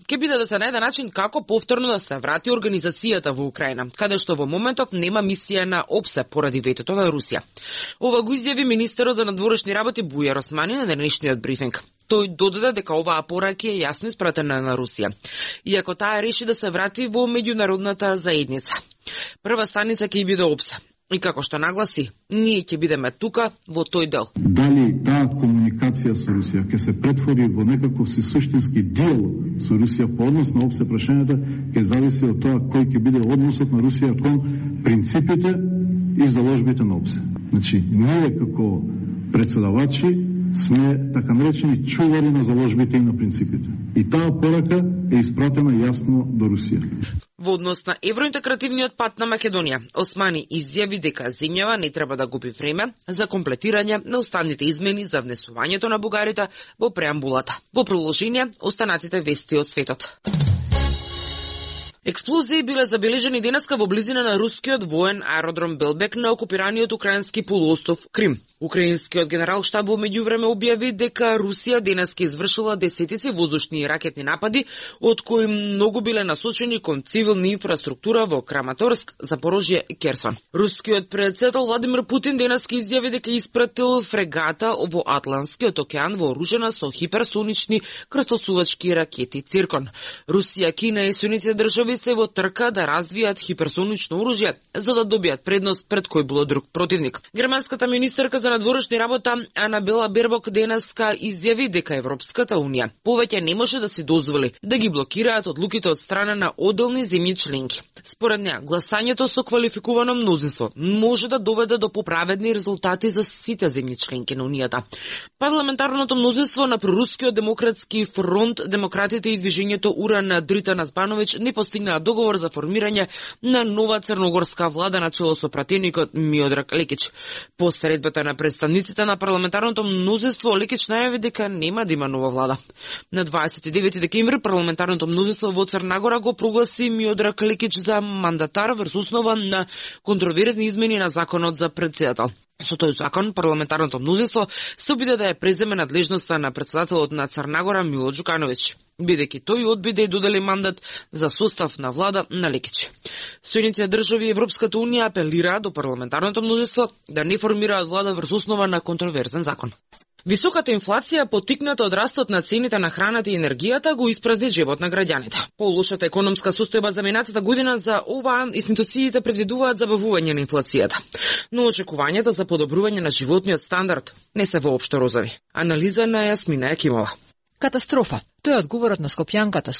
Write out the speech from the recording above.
ќе биде да се најде начин како повторно да се врати организацијата во Украина, каде што во моментов нема мисија на ОПСЕ поради ветото на Русија. Ова го изјави министерот за надворешни работи Бујар Османи на денешниот брифинг. Тој додаде дека оваа порака е јасно испратена на Русија, иако таа реши да се врати во меѓународната заедница. Прва станица ќе биде ОПСЕ. И како што нагласи, ние ќе бидеме тука во тој дел. Дали таа комуникација со Русија ќе се претвори во некаков си суштински диалог со Русија по однос на ОПСЕ, прашањата ќе зависи од тоа кој ќе биде односот на Русија кон принципите и заложбите на ОПСЕ. Значи, ние како председавачи сме така наречени чувари на заложбите и на принципите. И таа порака е испратена јасно до Русија. Во однос на евроинтегративниот пат на Македонија, Османи изјави дека земјава не треба да губи време за комплетирање на уставните измени за внесувањето на бугарите во преамбулата. Во продолжение, останатите вести од светот. Експлозии биле забележени денеска во близина на рускиот воен аеродром Белбек на окупираниот украински полуостров Крим. Украинскиот генерал-штаб во меѓувреме објави дека Русија денеска извршила десетици воздушни и ракетни напади, од кои многу биле насочени кон цивилна инфраструктура во Краматорск, Запорожје и Керсон. Рускиот претседател Владимир Путин денеска изјави дека испратил фрегата во Атлантскиот океан вооружена со хиперсонични крстосувачки ракети Циркон. Русија, Кина и Соединетите држави се во трка да развијат хиперсонично оружје за да добијат предност пред кој било друг противник. Германската министерка за надворешни работа Анабела Бербок денеска изјави дека Европската унија повеќе не може да се дозволи да ги блокираат одлуките од страна на одделни земји членки. Според неа, гласањето со квалификувано мнозинство може да доведе до поправедни резултати за сите земји членки на унијата. Парламентарното мнозинство на прорускиот демократски фронт, демократите и движењето Уран Дритана Збановиќ не постигнаа договор за формирање на нова црногорска влада на чело со пратеникот Миодраг Лекич. По средбата на представниците на парламентарното мнозинство, Лекич најави дека нема да има нова влада. На 29 декември парламентарното мнозинство во Црна Гора го прогласи Миодраг Лекич за мандатар врз основа на контроверзни измени на законот за претседател. Со тој закон, парламентарното мнозинство се обиде да ја преземе надлежноста на претседателот на Црна Гора Мило Џукановиќ, бидејќи тој одби да ја додели мандат за состав на влада на Лекич. Соединетите држави и Европската унија апелираа до парламентарното мнозинство да не формираат влада врз основа на контроверзен закон. Високата инфлација, поттикната од растот на цените на храната и енергијата, го испразни џебот на граѓаните. Полошата економска состојба за минатата година за оваа институциите предвидуваат забавување на инфлацијата. Но очекувањата за подобрување на животниот стандард не се воопшто розови. Анализа на Јасмина Јакимова. Катастрофа. Тој е одговорот на скопјанката